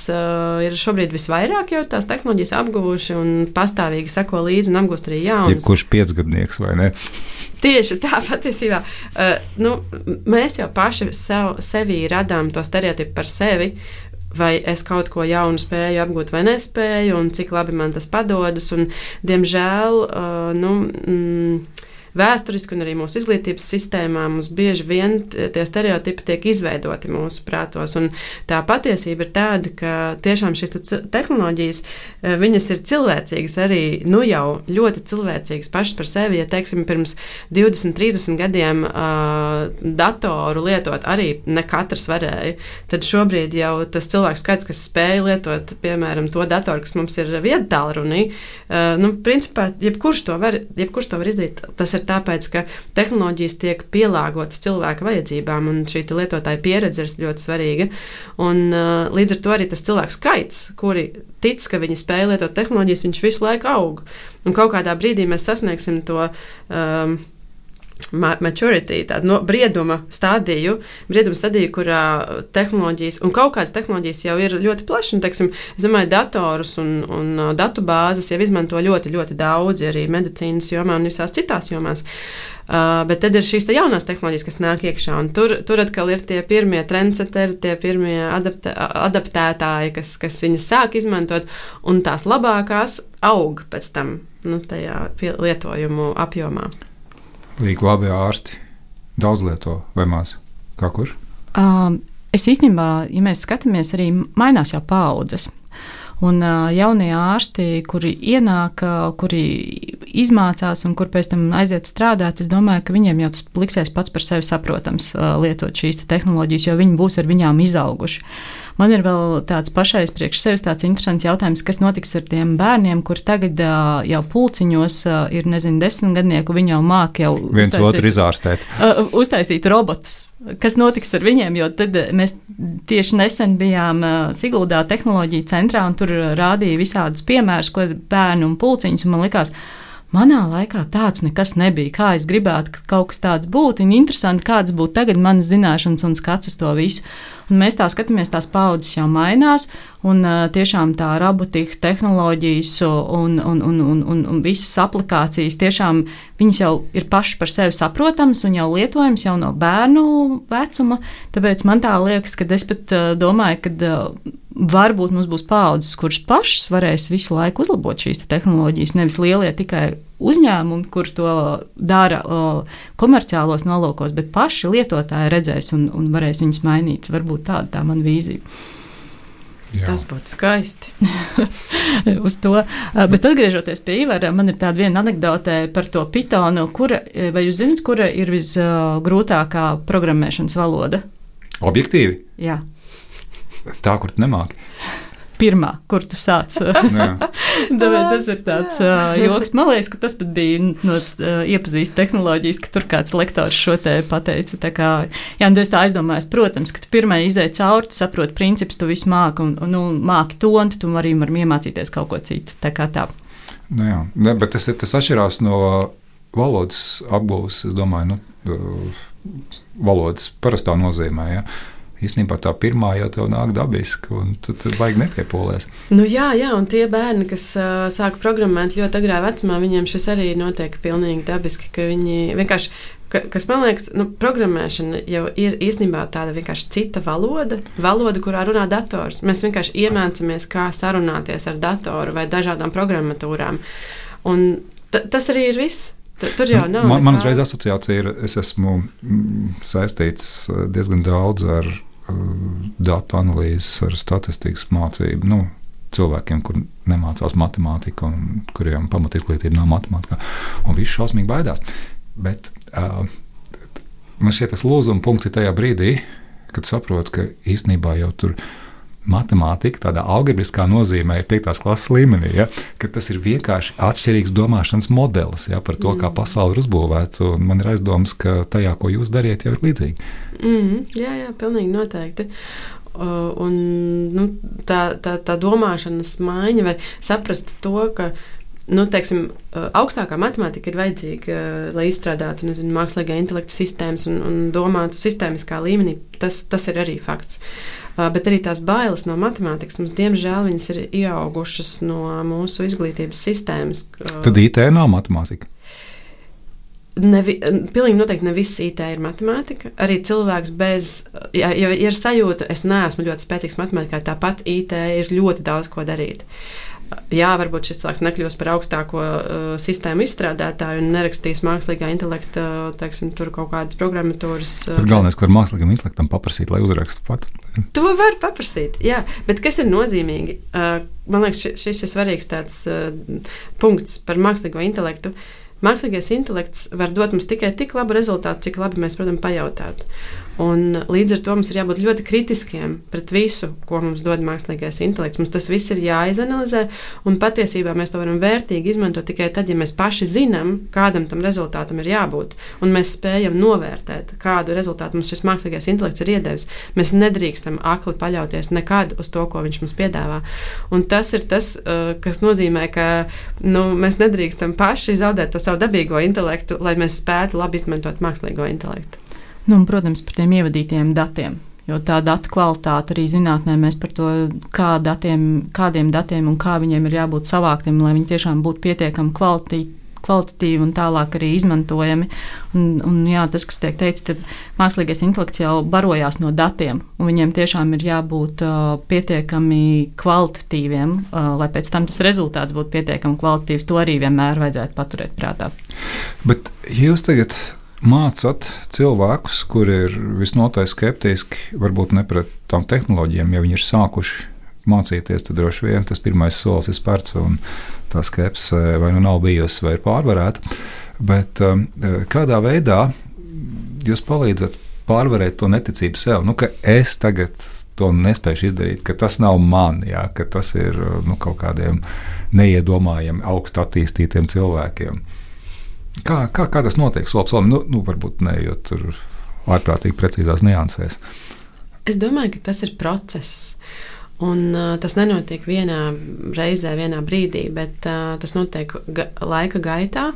Speaker 4: ir šobrīd visvairāk jau tās tehnoloģijas apguvuši un pastāvīgi seko līdzi un apgūst arī jaunas.
Speaker 3: Jebkurš piecgadnieks, vai ne?
Speaker 4: Tieši tā patiesībā. Mēs jau paši sevī radām to stereotipu par sevi, vai es kaut ko jaunu spēju apgūt vai nespēju, un cik labi man tas padodas. Un, diemžēl, vēsturiski un arī mūsu izglītības sistēmā mums bieži vien tie stereotipi tiek izveidoti mūsu prātos. Un tā patiesība ir tāda, ka tiešām šīs tehnoloģijas, viņas ir cilvēcīgas arī, jau ļoti cilvēcīgas pašas par sevi. Ja, teiksim, pirms 20, 30 gadiem datoru lietot arī ne katrs varēja, tad šobrīd jau tas cilvēku skaits, kas spēja lietot, piemēram, to datoru, kas mums ir viedtālrunī, principā, jebkurš to var izdarīt. Tas ir tāpēc, ka tehnoloģijas tiek pielāgotas cilvēka vajadzībām, un šī lietotāja pieredze ir ļoti svarīga. Un, līdz ar to arī tas cilvēku skaits, kuri tic, ka viņi spēj lietot tehnoloģijas, viņš visu laiku aug. Un kaut kādā brīdī mēs sasniegsim to maturity, tādu brieduma stadiju, kurā tehnoloģijas, un kaut kādas tehnoloģijas jau ir ļoti plašas. Teiksim, es domāju, datorus un datu bāzes jau izmanto ļoti, ļoti daudzi arī medicīnas jomā un visās citās jomās. Bet tad ir šīs jaunās tehnoloģijas, kas nāk iekšā, un tur atkal ir tie pirmie trendseteri, tie pirmie adaptētāji, kas viņas sāk izmantot, un tās labākās aug pēc tam tajā lietojumu apjomā.
Speaker 3: Līdz labi ārsti daudz lieto vai maz? Kā kur?
Speaker 5: Es īstenībā, ja mēs skatāmies, arī mainās jau paaudzes. Un jaunie ārsti, kuri ienāk, kuri izmācās un kur pēc tam aiziet strādāt, es domāju, ka viņiem jau tas liksies pats par sevi saprotams lietot šīs tehnoloģijas, jo viņi būs ar viņām izauguši. Man ir vēl tāds pašais priekš sevis tāds interesants jautājums, kas notiks ar tiem bērniem, kur tagad jau pulciņos ir, 10 gadnieku, viņi jau māk jau
Speaker 3: viens otru izārstēt.
Speaker 5: Uztaisīt robotus. Kas notiks ar viņiem, jo tad mēs tieši nesen bijām Siguldā tehnoloģija centrā un tur rādīja visādus piemērus, ko bērnu un pulciņus, un man likās, manā laikā tāds nekas nebija. Kā es gribētu, ka kaut kas tāds būtu, un interesanti, kāds būtu tagad manas zināšanas un skats uz to visu. Un mēs tā skatāmies, tās paudzes jau mainās, un tiešām tā robotika, tehnoloģijas un visas aplikācijas tiešām viņas jau ir pašas par sevi saprotamas un jau lietojams jau no bērnu vecuma. Tāpēc man tā liekas, ka es pat domāju, ka varbūt mums būs paudzes, kuras pašas varēs visu laiku uzlabot šīs tehnoloģijas, nevis lielie tikai uzņēmumi, kur to dara komerciālos nolūkos, bet paši lietotāji redzēs un varēs viņus mainīt. Varbūt tāda tā mana vīzija.
Speaker 3: Jā.
Speaker 4: Tas būtu skaisti.
Speaker 5: Uz to. Bet atgriežoties pie Ivara, man ir tāda viena anekdote par to Pythonu. Vai jūs zināt, kura ir visgrūtākā programmēšanas valoda?
Speaker 3: Objektīvi?
Speaker 5: Jā.
Speaker 3: Tā, kur tu nemāki.
Speaker 5: Pirmā, kur tu sāc. Tāpēc tas ir tāds joks. Man liekas, ka tas pat bija iepazīst tehnoloģijas, ka tur kāds lektors šo te pateica. Tā kā, es tā aizdomājos, protams, ka tu pirmai izēj cauri, tu saproti principus, tu visu māki un māki to, un tu arī vari iemācīties kaut ko citu. Tā kā tā.
Speaker 3: Bet tas atšķirās no valodas apgūves, es domāju, valodas parastā nozīmē, ja. Īstenībā tā pirmā jau tev nāk dabiski, un tu vajag nepiepolies.
Speaker 4: Jā, un tie bērni, kas sāka programmēt ļoti agrā vecumā, viņiem šis arī notiek pilnīgi dabiski, ka viņi vienkārši, kas man liekas, programmēšana jau ir īstenībā tāda vienkārši cita valoda, kurā runā dators. Mēs vienkārši iemācāmies, kā sarunāties ar datoru vai dažādām programmatūrām. Un tas arī ir viss. Tur jau nav.
Speaker 3: Man uzreiz asociācija ir, es esmu saistīts diezgan daudz ar datu analīzes, ar statistikas mācību, cilvēkiem, kur nemācās matemātiku un kuriem pamatizglītība nav matemātikā, un visi šausmīgi baidās. Bet man šķiet, tas lūzuma punkts ir tajā brīdī, kad saprotu, ka īstenībā jau tur matemātika, tādā algebriskā nozīmē, ir 5. klases līmenī, ja, ka tas ir vienkārši atšķirīgs domāšanas modelis, ja, par to, kā pasaule ir uzbūvēta. Man ir aizdomas, ka tajā, ko jūs dariet, jau ir līdzīgi.
Speaker 4: Jā, pilnīgi noteikti. Un tā domāšanas maiņa vai saprast to, ka teiksim, augstākā matemātika ir vajadzīga, lai izstrādātu mākslīgā intelekta sistēmas un domātu sistēmiskā līmenī. Tas ir arī fakts. Bet arī tās bailes no matemātikas mums, diemžēl, viņas ir ieaugušas no mūsu izglītības sistēmas.
Speaker 3: Tad IT nav matemātika?
Speaker 4: Pilnīgi noteikti ne viss IT ir matemātika. Arī cilvēks ja ir sajūta, es neesmu ļoti spēcīgs matemātikā, tāpat IT ir ļoti daudz ko darīt. Jā, varbūt šis cilvēks nekļūs par augstāko sistēmu izstrādātāju un nerakstīs mākslīgā intelekta, teiksim, tur kaut kādas programmatūras.
Speaker 3: Bet galvenais, ko ar mākslīgam intelektam paprasīt, lai uzrakstu pat.
Speaker 4: To var paprasīt, jā. Bet kas ir nozīmīgi? Man liekas, šis ir svarīgs tāds punkts par mākslīgo intelektu. Mākslīgais intelekts var dot mums tikai tik labu rezultātu, cik labi mēs, protams, pajautātu. Un līdz ar to mums ir jābūt ļoti kritiskiem pret visu, ko mums dod mākslīgais intelekts. Mums tas viss ir jāizanalizē, un patiesībā mēs to varam vērtīgi izmantot tikai tad, ja mēs paši zinām, kādam tam rezultātam ir jābūt, un mēs spējam novērtēt, kādu rezultātu mums šis mākslīgais intelekts ir iedevis. Mēs nedrīkstam akli paļauties nekad uz to, ko viņš mums piedāvā. Un tas ir tas, kas nozīmē, ka mēs nedrīkstam paši zaudēt to savu dabīgo intelektu, lai mēs spētu labi izmantot mākslīgo intelektu.
Speaker 5: Protams, par tiem ievadītajiem datiem, jo tā datu kvalitāte arī zinātnē mēs par to, kādiem datiem un kā viņiem ir jābūt savāktiem, lai viņi tiešām būtu pietiekami kvalitatīvi un tālāk arī izmantojami. Un jā, tas, kas tiek teikts, tad mākslīgais intelekts jau barojās no datiem, un viņiem tiešām ir jābūt pietiekami kvalitatīviem, lai pēc tam tas rezultāts būtu pietiekami kvalitatīvs. To arī vienmēr vajadzētu paturēt prātā.
Speaker 3: Bet jūs tagad mācāt cilvēkus, kuri ir visnotaļ skeptiski, varbūt ne pret tām tehnoloģijām, ja viņi ir sākuši mācīties, tad droši vien tas pirmais solis ir spērts, un tā skepse vai nu nav bijusi, vai ir pārvarēta. Bet kādā veidā jūs palīdzat pārvarēt to neticību sev, ka es tagad to nespēju izdarīt, ka tas nav man, jā, ka tas ir kaut kādiem neiedomājami augstu attīstītiem cilvēkiem. Kā tas notiek solim? Varbūt ne, jo tur ārprātīgi precīzās niansēs.
Speaker 4: Es domāju, ka tas ir process. Un tas nenotiek vienā reizē, vienā brīdī, bet tas notiek laika gaitā.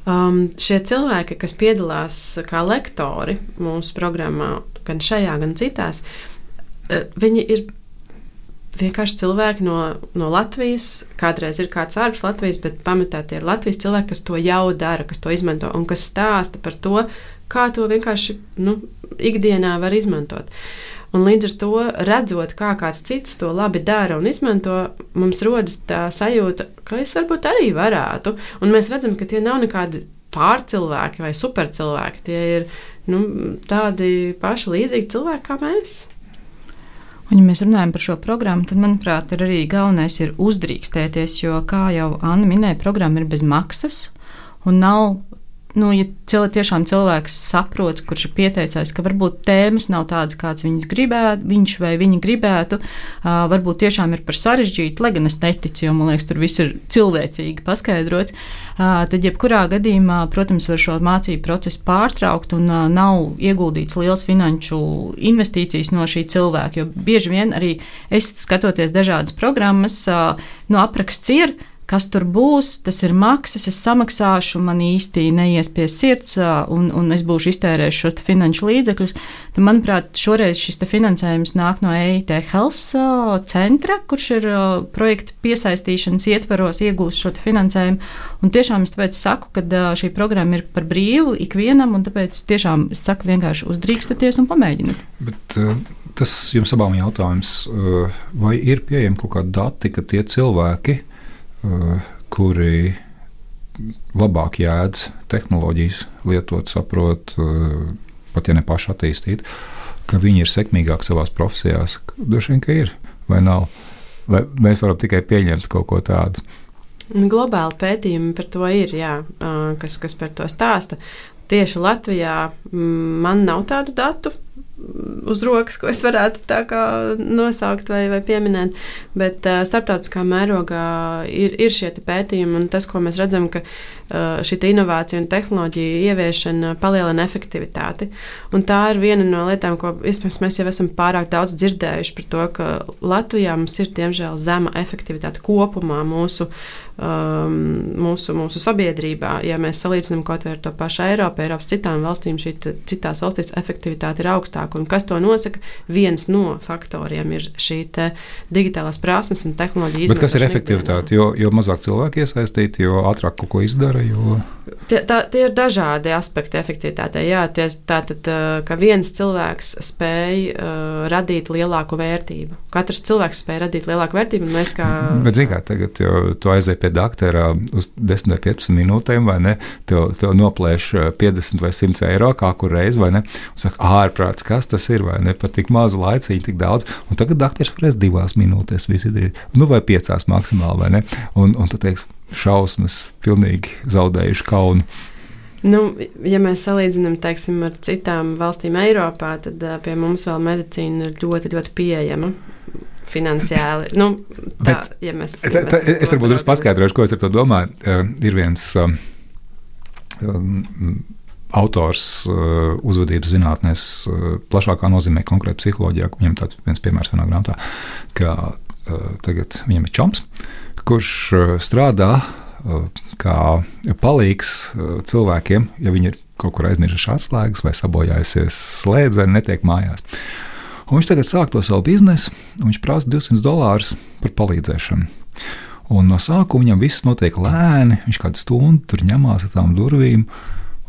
Speaker 4: Šie cilvēki, kas piedalās kā lektori mūsu programmā, gan šajā, gan citās, viņi ir vienkārši cilvēki no Latvijas. Kādreiz ir kāds ārpus Latvijas, bet pamatā tie ir Latvijas cilvēki, kas to jau dara, kas to izmanto un kas stāsta par to, kā to vienkārši ikdienā var izmantot. Un līdz ar to, redzot, kā kāds cits to labi dara un izmanto, mums rodas tā sajūta, ka es varbūt arī varētu. Un mēs redzam, ka tie nav nekādi pārcilvēki vai supercilvēki. Tie ir tādi paši līdzīgi cilvēki kā mēs.
Speaker 5: Un, ja mēs runājam par šo programmu, tad, manuprāt, ir arī galvenais ir uzdrīkstēties, jo, kā jau Anna minēja, programma ir bez maksas un nav. Ja tiešām cilvēks saprot, kurš ir pieteicis, ka varbūt tēmas nav tādas, kādas viņš vai viņa gribētu, varbūt tiešām ir par sarežģītu, lai gan es neticu, jo, man liekas, tur viss ir cilvēcīgi paskaidrots, tad jebkurā gadījumā, protams, var šo mācību procesu pārtraukt un nav ieguldīts liels finanšu investīcijas no šī cilvēka, jo bieži vien arī es skatoties dažādas programmas, apraksts ir, kas tur būs, tas ir maksas, es samaksāšu, man īsti neies pie sirds, un es būšu iztērējis šos finanšu līdzekļus. Tad, manuprāt, šoreiz šis finansējums nāk no EIT Health centra, kurš ir projektu piesaistīšanas ietvaros iegūst šo finansējumu. Un tiešām es tāpēc saku, ka šī programma ir par brīvu ikvienam, un tāpēc tiešām es saku vienkārši uzdrīkstaties un pamēģiniet.
Speaker 3: Bet tas jums abām jautājums, vai ir pieejami kaut kādi dati, ka tie cilvēki, kuri labāk jēdz tehnoloģijas lietot, saprot, pat ja ne paši attīstīt, ka viņi ir sekmīgāki savās profesijās. Droši vien, ka ir, vai nav? Vai mēs varam tikai pieņemt kaut ko tādu?
Speaker 4: Globāli pētījumi par to ir, jā, kas par to stāsta. Tieši Latvijā man nav tādu datu. uz rokas, ko es varētu tā kā nosaukt vai pieminēt, bet starptautiskā mērogā ir šie pētījumi, un tas, ko mēs redzam, ka šī inovācija un tehnoloģija ieviešana palielina efektivitāti. Un tā ir viena no lietām, ko iespējams mēs jau esam pārāk daudz dzirdējuši par to, ka Latvijā mums ir diemžēl zema efektivitāte kopumā mūsu sabiedrībā. Ja mēs salīdzinām kaut vai ar to pašu Eiropu, Eiropas citām valstīm, šī citās valstīs efektivitāte ir augstāka. Un kas to nosaka? Viens no faktoriem ir šī digitālās prasmes un tehnoloģija izmantošana.
Speaker 3: Bet kas ir efektivitāte? Jo mazāk cilvēki iesaistīti, jo ātrāk kaut ko izdara.
Speaker 4: Tie ir dažādi aspekti efektivitātei. Jā, tātad, ka viens cilvēks spēj radīt lielāku vērtību. Katrs cilvēks spēj radīt lielāku vērtību, un mēs kā...
Speaker 3: Bet, zini kā, tagad tu aizēji pie daktera uz 10 vai 15 minūtēm, vai ne? Tev noplēš 50 vai 100 eiro kā kur reiz, vai ne? Un saka, ārprāts, kas tas ir, vai ne? Par tik mazu laiciņu, tik daudz. Un tagad dakters varēs 2 minūtēs visu izdarīt. Nu, vai 5 maksimāli, vai ne? Un tu teiksi, šausmas, pilnīgi zaudējuši kaunu.
Speaker 4: Nu, ja mēs salīdzinām, teiksim, ar citām valstīm Eiropā, tad pie mums vēl medicīna ir ļoti, ļoti pieejama finansiāli. Nu, tā, ja mēs
Speaker 3: es varbūt drusku paskaidrošu, ko es ar to domāju. Ir viens autors uzvedības zinātnēs plašākā nozīmē konkrēti psiholoģijā. Viņam tāds viens piemērs vienā grāmatā, ka tagad viņam ir čoms, kurš strādā kā palīgs cilvēkiem, ja viņi ir kaut kur aizmirsuši atslēgas vai sabojājusies slēdzeni, netiek mājās. Un viņš tagad sāk to savu biznesu, un viņš prasa $200 par palīdzēšanu. Un no sākuma viņam viss notiek lēni, viņš kādu stundu tur ņemās ar tām durvīm,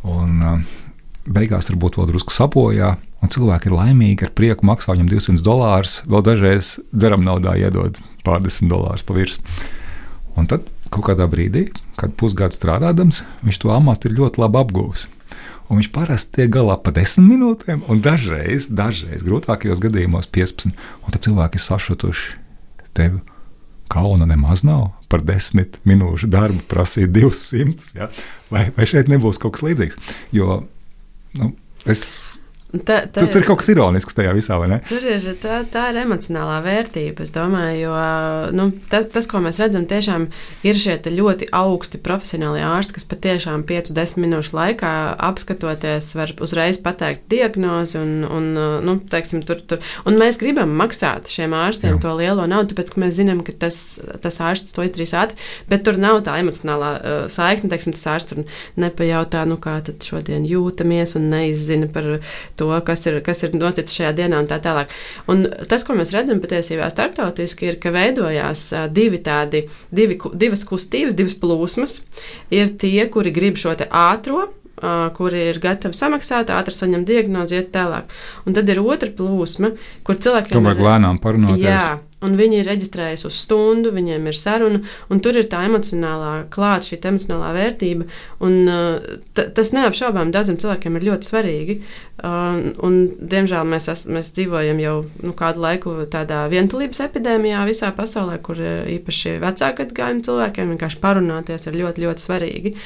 Speaker 3: un beigās varbūt vēl drusku sabojā, un cilvēki ir laimīgi, ar prieku maksā viņam $200, vēl dažreiz dzeram naudā iedod $40 pa virs. Un tad kaut kādā brīdī, kad pusgadu strādādams, viņš to amatu ir ļoti labi apguvis. Un viņš parasti tiek galā pa 10 minūtēm, un dažreiz grūtākajos gadījumos 15. Un tad cilvēki ir sašutuši. Tev kauna nemaz nav par 10 minūšu darbu prasīt 200. Ja? Vai šeit nebūs kaut kas līdzīgs? Jo tur ir kaut kas ironisks tajā visā, vai ne?
Speaker 4: Tā ir emocionālā vērtība, es domāju, jo tas, ko mēs redzam, tiešām ir šie ļoti augsti profesionāli ārsti, kas patiešām 5-10 minūšu laikā apskatoties var uzreiz pateikt diagnozi un teiksim, tur. Un mēs gribam maksāt šiem ārstiem to lielo naudu, tāpēc, ka mēs zinām, ka tas ārsts to izdarīs ātri, bet tur nav tā emocionālā saikne, teiksim, tas ārsts tur nepajautā, kā tad šodien jūtamies un neizzina par to, kas ir noticis šajā dienā un tā tālāk. Un tas, ko mēs redzam patiesībā starptautiski, ir, ka veidojās divas kustības, divas plūsmas. Ir tie, kuri grib šo te ātro, kuri ir gatavi samaksāt, ātri saņemt diagnozi, iet tālāk. Un tad ir otra plūsma, kur cilvēkiem
Speaker 3: tomēr lēnām parunāties.
Speaker 4: Jā, un viņi ir reģistrējuši uz stundu, viņiem ir saruna, un tur ir tā emocionālā klāta, šī emocionālā vērtība, un tas neapšaubām daudziem cilvēkiem ir ļoti svarīgi, un diemžēl mēs dzīvojam jau kādu laiku tādā vientulības epidēmijā visā pasaulē, kur īpaši vecāku gadagājumu cilvēkiem vienkārši parunāties ir ļoti, ļoti svarīgi.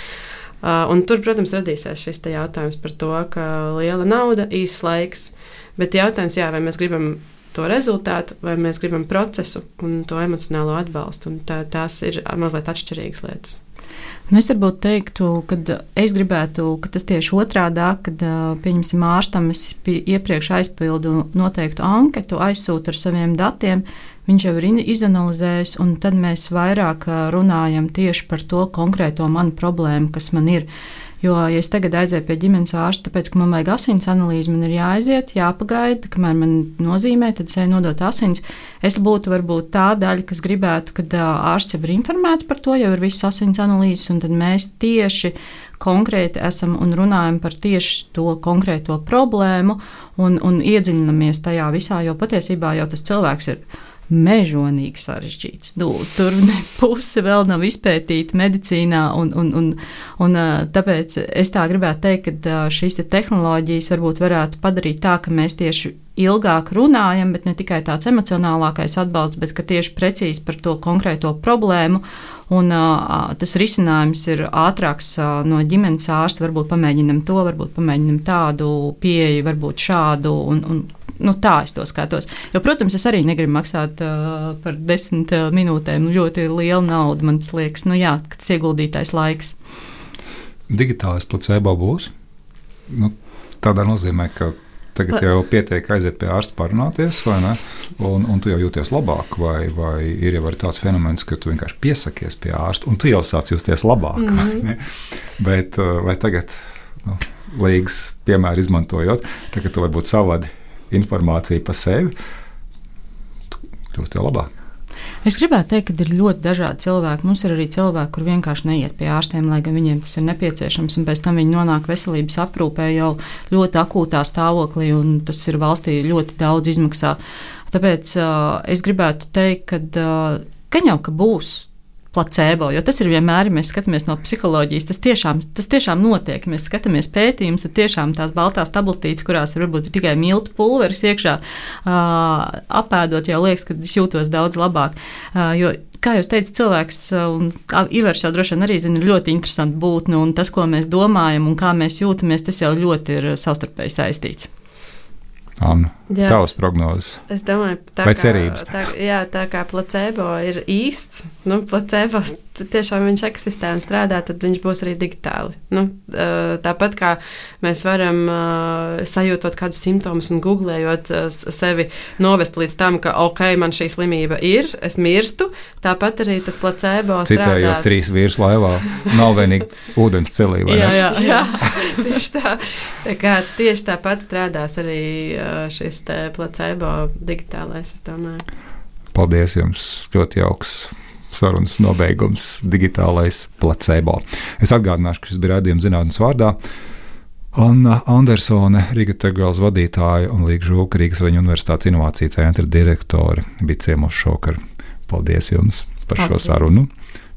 Speaker 4: Un tur, protams, radīsies šis jautājums par to, ka liela nauda, īsts laiks, bet jautājums, vai mēs gribam to rezultātu, vai mēs gribam procesu un to emocionālo atbalstu, un tās ir mazliet atšķirīgas lietas.
Speaker 5: Es varbūt teiktu, ka es gribētu, ka tas tieši otrādāk, kad, pieņemsim, ārstam es iepriekš aizpildu noteiktu anketu, aizsūtu ar saviem datiem, viņš jau ir izanalizējis, un tad mēs vairāk runājam tieši par to konkrēto manu problēmu, kas man ir. Jo, ja es tagad aizēju pie ģimenes ārsta, tāpēc, ka man vajag asins analīzi, man ir jāaiziet, jāpagaida, kamēr man nozīmē, tad es eju nodot asins. Es būtu varbūt tā daļa, kas gribētu, kad ārsts jau ir informēts par to, jau ir viss asins analīzes, un tad mēs tieši konkrēti esam un runājam par tieši to konkrēto problēmu un iedziļinamies tajā visā, jo patiesībā jau tas cilvēks ir mežonīgi sarežģīts. Tur puse vēl nav izpētīta medicīnā, un tāpēc es tā gribētu teikt, ka šīs tehnoloģijas varētu padarīt tā, ka mēs tieši ilgāk runājam, bet ne tikai tāds emocionālākais atbalsts, bet ka tieši precīzi par to konkrēto problēmu, un tas risinājums ir ātrāks no ģimenes ārsta, varbūt pamēģinam to, varbūt pamēģinam tādu pieeju, varbūt šādu, un tā es to skatos. Jo, protams, es arī negribu maksāt par 10 minūtēm ļoti lielu naudu. Man tas liekas, tas ieguldītais laiks.
Speaker 3: Digitālais placebo būs? Tādā nozīmē, ka tagad jau pietiek aiziet pie ārsta parunāties, vai ne? Un tu jau jūties labāk, vai ir jau arī tāds fenomens, ka tu vienkārši piesakies pie ārsta, un tu jau sāc justies labāk. Bet vai tagad, līgas piemēru izmantojot, tagad tu varbūt savādi informāciju par sevi, tu kļūst jau labāk.
Speaker 5: Es gribētu teikt, ka ir ļoti dažādi cilvēki. Mums ir arī cilvēki, kur vienkārši neiet pie ārstiem, lai gan viņiem tas ir nepieciešams, un pēc tam viņi nonāk veselības aprūpē jau ļoti akūtā stāvoklī, un tas ir valstī ļoti daudz izmaksā. Tāpēc es gribētu teikt, ka jau ka būs placebo, jo tas ir vienmēr, ja mēs skatāmies no psiholoģijas, tas tiešām notiek. Mēs skatāmies pētījumus, tad tiešām tās baltās tabletītes, kurās varbūt ir tikai miltu pulveris iekšā, apēdot, jau liekas, ka es jūtos daudz labāk. Jo, kā jūs teicat, cilvēks, un Ivars jau droši vien arī zina, ir ļoti interesanti būtne, un tas, ko mēs domājam un kā mēs jūtamies, tas jau ļoti ir savstarpēji saistīts.
Speaker 3: Anna, tavas prognozes.
Speaker 4: Es domāju,
Speaker 3: cerības.
Speaker 4: Tā kā placebo ir īsts, placebo tiešām viņš eksistē un strādā, tad viņš būs arī digitāli. Tāpat kā mēs varam sajūtot kādus simptomus un googlējot sevi novest līdz tam, ka man šī slimība ir, es mirstu, tāpat arī tas placebo strādās.
Speaker 3: Citējot 3 vīrus laivā, nav vienīgi ūdens celī, vai ne?
Speaker 4: Jā, tieši tā. Tā kā tieši tāpat strādās arī šis te placebo digitālais, es domāju.
Speaker 3: Paldies jums, ļoti jauks sarunas nobeigums, digitālais placebo. Es atgādināšu, ka šis bija raidījums zinātnes vārdā. Anna Andersone, Rīgas Tegels vadītāja un Līga Žulka, Rīgas Raņu universitātes inovāciju centra direktore, bija ciemos šovakar. Paldies jums par šo sarunu.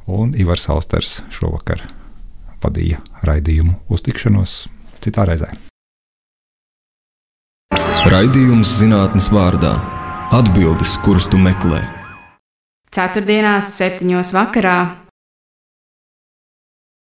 Speaker 3: Un Ivars Austers šovakar vadīja raidījumu. Uz tikšanos citā reizē.
Speaker 1: Raidījums zinātnes vārdā. Atbildes, kuras tu meklē.
Speaker 2: Ceturtdienās 7:00 vakarā